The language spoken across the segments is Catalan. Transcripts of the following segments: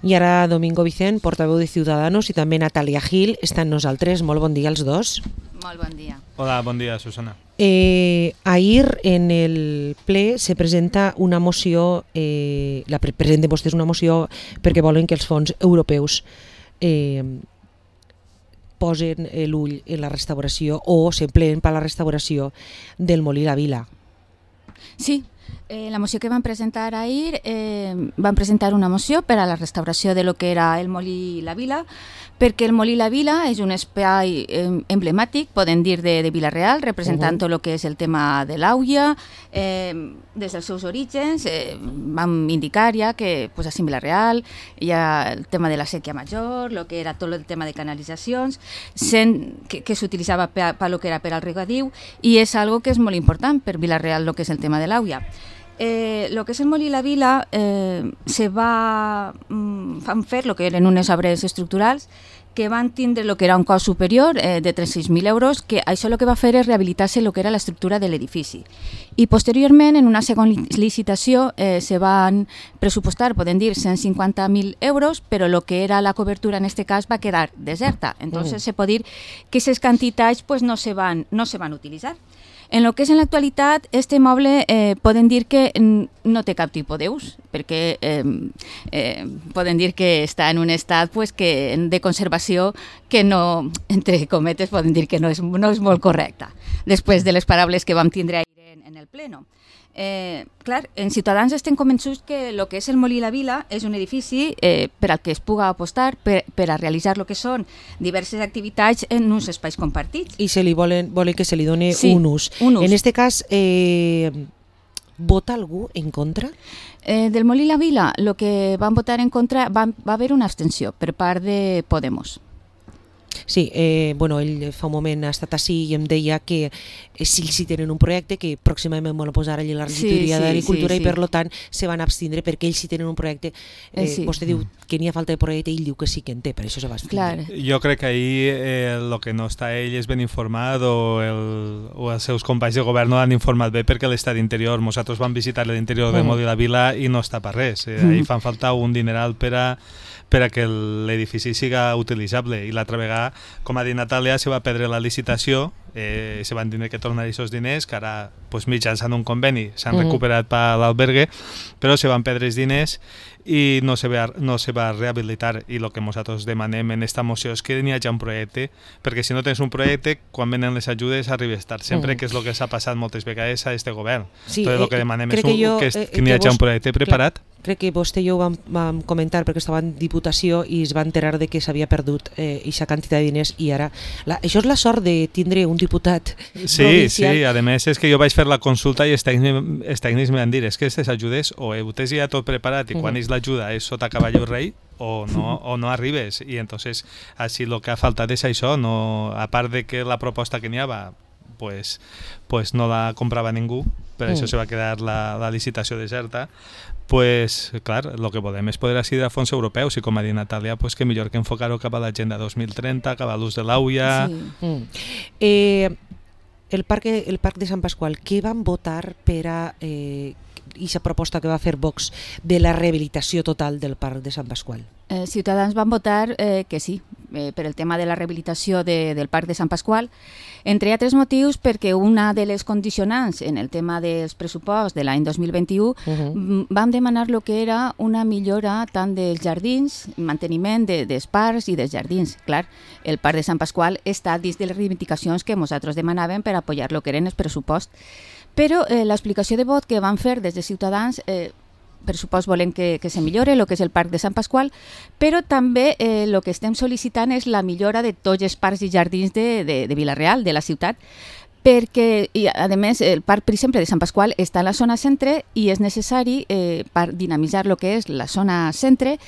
I ara Domingo Vicent, portaveu de Ciudadanos, i també Natàlia Gil estan nosaltres. Molt bon dia als dos. Molt bon dia. Hola, bon dia, Susana. Ahir en el ple se presenta una moció, presenten vostès una moció perquè volen que els fons europeus posen l'ull en la restauració o s'empleen per a la restauració del Molí La Vila. Sí, la moció que van presentar ahir, van presentar una moció per a la restauració de lo que era el Molí La Vila, perquè el Molí La Vila és un espai emblemàtic, podem dir, de Vila-real, representant tot el que és el tema de l'Auia. Des dels seus orígens vam indicar ja que pues, a Vila-real hi ha el tema de la sèquia major, lo que era tot el tema de canalitzacions, que s'utilitzava per lo que era per al regadiu, i és algo que és molt important per Vila-real, lo que és el tema de l'Auia. Lo que és el Molí La Vila se van fer lo que eren unes obres estructurals que van tindre lo que era un cost superior de 36.000 euros, que això el que va fer és rehabilitar-se lo que era l'estructura de l'edifici. I posteriorment, en una segona licitació, se van pressupostar, podem dir, 150.000 euros, però lo que era la cobertura en aquest cas va quedar deserta. Entonces se pot dir que aquestes quantitats pues, no se van utilitzar. En lo que és en l'actualitat, este immoble podem dir que no té cap tipus d'ús, perquè podem dir que està en un estat pues, de conservació que no, entre cometes, podem dir que no és molt correcta, després de les paraules que vam tindre ahir en el pleno. Clar, en Ciutadans estem convençuts que el que és el Molí La Vila és un edifici per al que es puga apostar per a realitzar el que són diverses activitats en uns espais compartits. I se li volen que se li doni un ús. Un ús. En aquest cas, vota algú en contra? Del Molí La Vila, el que van votar en contra va haver una abstenció per part de Podemos. Sí, ell fa un moment ha estat així i em deia que si tenen un projecte que pròximament vol posar allà la regidoria d'Agricultura i per tant se van abstindre perquè ells si tenen un projecte, vostè diu que n'hi ha falta de projecte i ell diu que sí que en té, per això se va abstindre. Jo crec que ahir el que no està ell és ben informat o els seus companys de govern no l'han informat bé perquè l'Estat d'Interior, nosaltres vam visitar l'interior de Molí La Vila i no està per res, ahir fan falta un dineral per a que l'edifici siga utilitzable i l'altra vegada, com ha dit Natàlia, se va perdre la licitació, se van tindre que tornar aquests diners que ara mitjançant un conveni s'han recuperat per l'albergue, però se van perdre els diners i no se va rehabilitar, i el que nosaltres demanem en aquesta moció és que n'hi hagi un projecte, perquè si no tens un projecte, quan venen les ajudes arribes tard, sempre, que és el que s'ha passat moltes vegades a aquest govern. El que demanem és que n'hi hagi un projecte preparat. Crec que vostè i jo ho vam comentar perquè estava en Diputació i es va enterar de que s'havia perdut aquesta quantitat de diners i ara... Això és la sort de tindre un diputat provincial. Sí, a més és que jo vaig fer la consulta i els tècnics me van dir és que aquestes ajudes o ho tens ja tot preparat i quan és l'ajuda és sota cavall rei o no arribes, i entonces així el que ha faltat és això, a part de que la proposta que n'hi havia pues no la comprava ningú, per això se va quedar la licitació deserta. Pues, clar, el que volem és poder accedir a fons europeus i, com ha dit Natàlia, pues, que millor que enfocar-ho cap a l'Agenda 2030, cap a l'ús de l'Auia... El Parc de Sant Pasqual, què van votar per a aquesta proposta que va fer Vox de la rehabilitació total del Parc de Sant Pasqual? Ciutadans van votar que sí, per el tema de la rehabilitació del Parc de Sant Pasqual, entre altres motius perquè una de les condicionants en el tema dels pressuposts de l'any 2021 vam demanar el que era una millora tant dels jardins, manteniment dels parcs i dels jardins. Clar, el Parc de Sant Pasqual està dins de les reivindicacions que nosaltres demanàvem per apoyar el que eren els pressuposts. Però l'explicació de vot que van fer des de Ciutadans, per supost volem que se millore el que és el Parc de Sant Pasqual, però també el que estem sol·licitant és la millora de tots els parcs i jardins de Vila-real, de la ciutat, perquè, a més, el Parc, per exemple, de Sant Pasqual està a la zona centre i és necessari per dinamitzar el que és la zona centre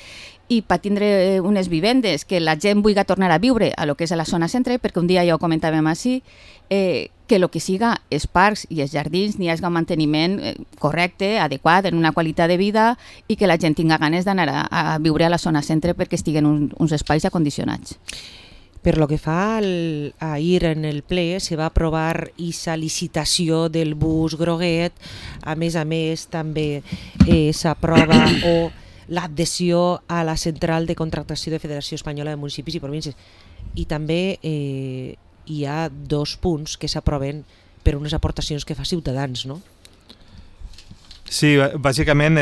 i per tindre unes vivendes que la gent vulgui tornar a viure a lo que és a la zona centre, perquè un dia ja ho comentàvem així, que el que siga els parcs i els jardins n'hi hagi un manteniment correcte, adequat, en una qualitat de vida i que la gent tinga ganes d'anar a viure a la zona centre perquè estiguen uns espais acondicionats. Per lo que fa ahir en el ple, se va aprovar aquesta licitació del bus groguet, a més també s'aprova o l'adhesió a la central de contractació de Federació Espanyola de Municipis i Províncies. I també hi ha 2 punts que s'aproven per unes aportacions que fa Ciutadans, no? Sí, bàsicament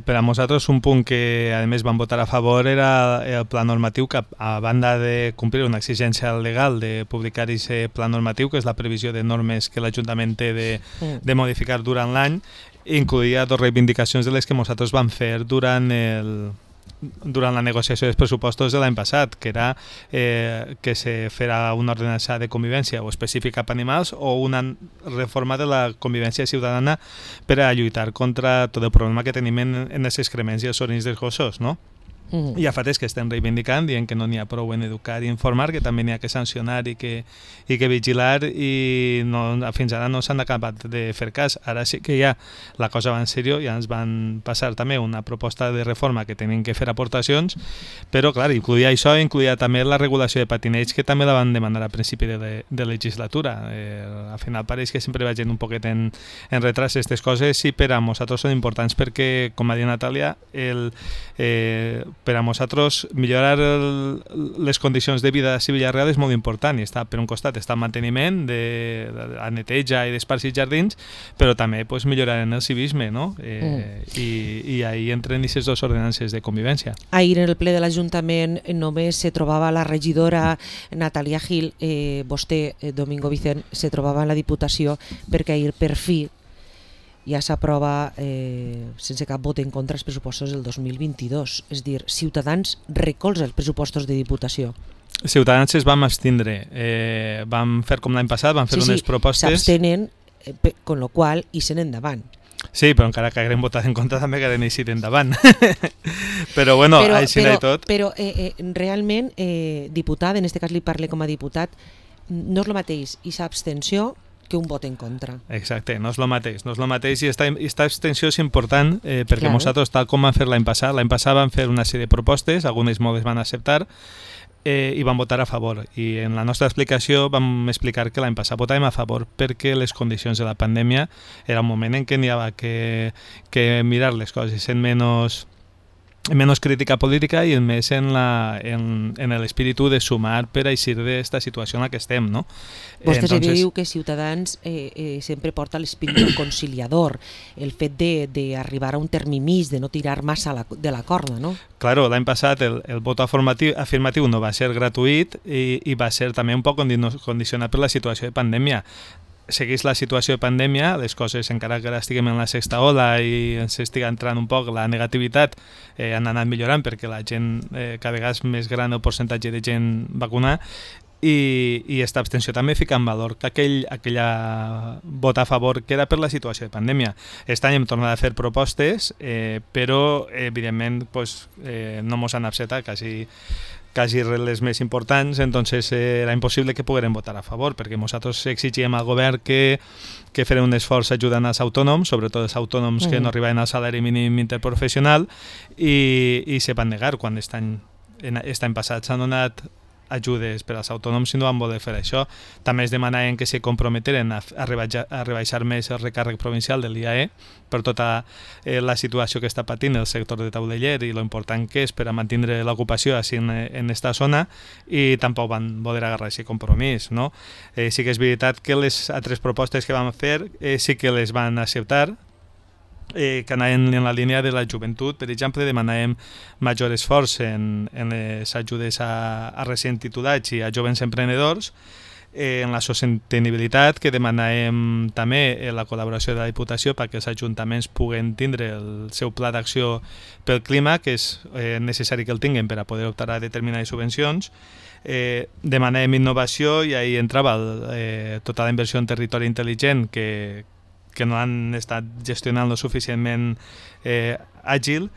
per a nosaltres un punt que a més van votar a favor era el pla normatiu, que a banda de complir una exigència legal de publicar aquest pla normatiu, que és la previsió de normes que l'Ajuntament té de modificar durant l'any, incluïa 2 reivindicacions de les que nosaltres vam fer durant la negociació dels pressupostos de l'any passat, que era que se farà una ordenança de convivència o específica per animals o una reforma de la convivència ciutadana per a lluitar contra tot el problema que tenim en els excrements i els orins dels gossos, no? I a fa temps que estem reivindicant, dient que no n'hi ha prou en educar i informar, que també n'hi ha que sancionar i que vigilar, i fins ara no s'han acabat de fer cas. Ara sí que ja la cosa va en sèrio, ja ens van passar també una proposta de reforma que tenim que fer aportacions, però clar, incluïa això, incluïa també la regulació de patineig, que també la van demanar a principi de legislatura. Al final pareix que sempre vagin un poquet en retras aquestes coses, i per a nosaltres són importants perquè, com ha dit Natàlia, per a nosaltres millorar les condicions de vida a Villarreal és molt important, i està, per un costat està el manteniment de neteja i d'esparcir jardins, però també millorar en el civisme, no? I ahí entren aquestes 2 ordenances de convivència. Ahir en el ple de l'Ajuntament només se trobava la regidora Natàlia Gil, vostè, Domingo Vicent, se trobava en la Diputació, perquè ahir per fi ja s'aprova sense cap vot en contra els pressupostos del 2022. És dir, Ciutadans recolza els pressupostos de Diputació. Ciutadans es vam abstindre. Vam fer com l'any passat, vam fer unes propostes... S'abstenen, con lo qual hi sent endavant. Sí, però encara que haguem votat en contra també que haguem eixit endavant. Però bueno, així i tot... Però realment, diputat, en aquest cas li parle com a diputat, no és el mateix aquesta abstenció que un vot en contra. Exacte, no és el mateix. No és el mateix, i aquesta abstenció és important perquè nosaltres, tal com vam fer l'any passat vam fer una sèrie de propostes, algunes moltes van acceptar, i vam votar a favor. I en la nostra explicació vam explicar que l'any passat votàvem a favor perquè les condicions de la pandèmia era un moment en què n'hi havia que mirar les coses en menys crítica política i més en l'espíritu de sumar per a eixir d'esta situació en la que estem, no? Vostè diu que Ciutadans sempre porta l'espíritu conciliador, el fet d'arribar a un termini, de no tirar massa de la corda, no? Claro, l'any passat el vot afirmatiu no va ser gratuït i va ser també un poc condicionat per la situació de pandèmia. Segueix la situació de pandèmia, les coses, encara que ara estiguem en la 6ª ola i ens estigui entrant un poc la negativitat, han anat millorant perquè la gent, cada vegada més gran el percentatge de gent vacunada, i aquesta abstenció també fica en valor que aquella vot a favor que era per la situació de pandèmia. Aquest any hem tornat a fer propostes, però evidentment no ens han acceptat quasi les més importants, entonces era impossible que poguérem votar a favor, perquè nosaltres exigíem al govern que farà un esforç ajudant als autònoms, sobretot els autònoms que no arribaven al salari mínim interprofessional, i se van negar quan aquest any passat s'han donat ajudes per als autònoms i no van voler fer això. També es demanaven que se comprometeren a rebaixar més el recàrrec provincial de l'IAE per tota la situació que està patint el sector de tauleller i lo important que és per a mantenir l'ocupació així en aquesta zona, i tampoc van voler agarrar aquest compromís, no? Sí que és veritat que les altres propostes que vam fer sí que les van acceptar, que anaven en la línia de la joventut. Per exemple, demanàvem major esforç en les ajudes a recent titulats i a jovens emprenedors, en la sostenibilitat, que demanàvem també la col·laboració de la Diputació perquè els ajuntaments puguen tindre el seu pla d'acció pel clima, que és necessari que el tinguin per a poder optar a determinades subvencions. Demanàvem innovació, i ahí entrava tota la inversió en territori intel·ligent que no han estat gestionant-lo suficientment àgil,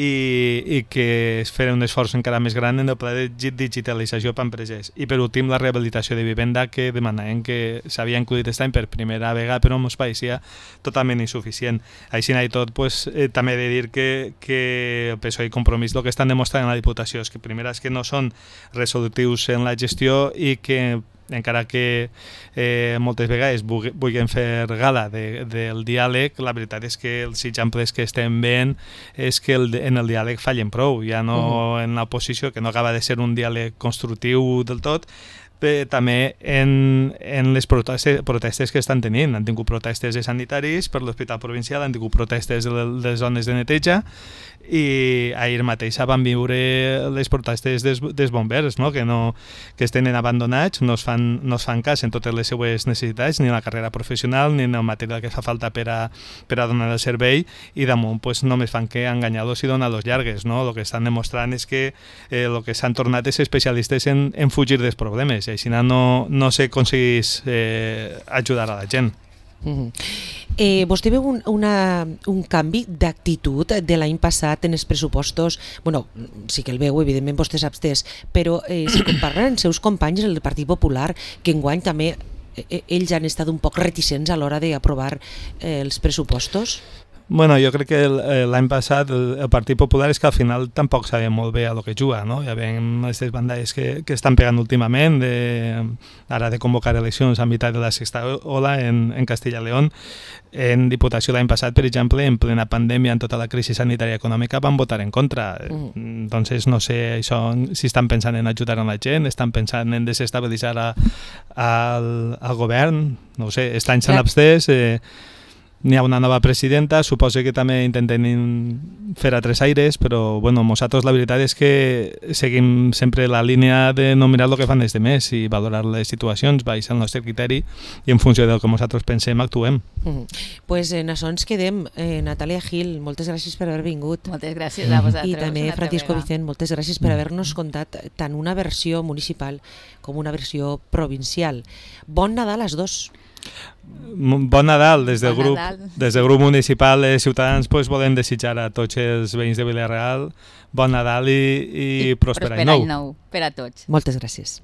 i que es farà un esforç encara més gran en el pla de digitalització per empreses. I per últim, la rehabilitació de vivenda, que demanaven que s'havia incluït aquest any per primera vegada, però ens pareixia totalment insuficient. Així i tot, també he de dir que el PSOE i Compromís el que estan demostrant en la Diputació és que, primer, és que no són resolutius en la gestió, i que encara que moltes vegades vulguin fer gala del diàleg, la veritat és que els exemples que estem veient és que en el diàleg fallen prou, ja no en l'oposició, que no acaba de ser un diàleg constructiu del tot, però també en les protestes que estan tenint. Han tingut protestes de sanitaris per l'hospital provincial, han tingut protestes de les zones de neteja, i ahir mateix van viure les protestes dels bombers, no? Que es tenen abandonats, no es fan cas en totes les seues necessitats, ni en la carrera professional, ni en el material que fa falta per a donar el servei, i damunt pues, només fan que enganyar-los i donar-los llargues. No? El que estan demostrant és que el que s'han tornat és especialistes en fugir dels problemes, i així no s'aconsegueix ajudar a la gent. Vostè veu un canvi d'actitud de l'any passat en els pressupostos? Bueno, sí que el veu, evidentment vostè s'abstès, però si comparen els seus companys del Partit Popular, que enguany també ells han estat un poc reticents a l'hora d'aprovar els pressupostos? Bueno, jo crec que l'any passat el Partit Popular és que al final tampoc sabia molt bé a lo que juga, no? Ja veiem aquestes bandalles que estan pegant últimament, ara de convocar eleccions a meitat de la sexta ola en Castilla y León. En Diputació l'any passat, per exemple, en plena pandèmia, en tota la crisi sanitària i econòmica, van votar en contra. Entonces, no sé això, si estan pensant en ajudar a la gent, estan pensant en desestabilitzar al govern, no ho sé, estan s'han abstès. N'hi ha una nova presidenta, suposo que també intenten fer altres aires, però bueno, nosaltres la veritat és que seguim sempre la línia de no mirar el que fan els demés i valorar les situacions, baix el nostre criteri, i en funció del que nosaltres pensem actuem. Pues en això ens quedem. Natàlia Gil, moltes gràcies per haver vingut. Moltes gràcies a vosaltres. I també Francisco Vicent, moltes gràcies per haver-nos contat tant una versió municipal com una versió provincial. Bon Nadal als dos. Bon Nadal. Des del grup municipal de Ciutadans volem desitjar a tots els veïns de Vila-real bon Nadal i pròsper any nou per a tots. Moltes gràcies.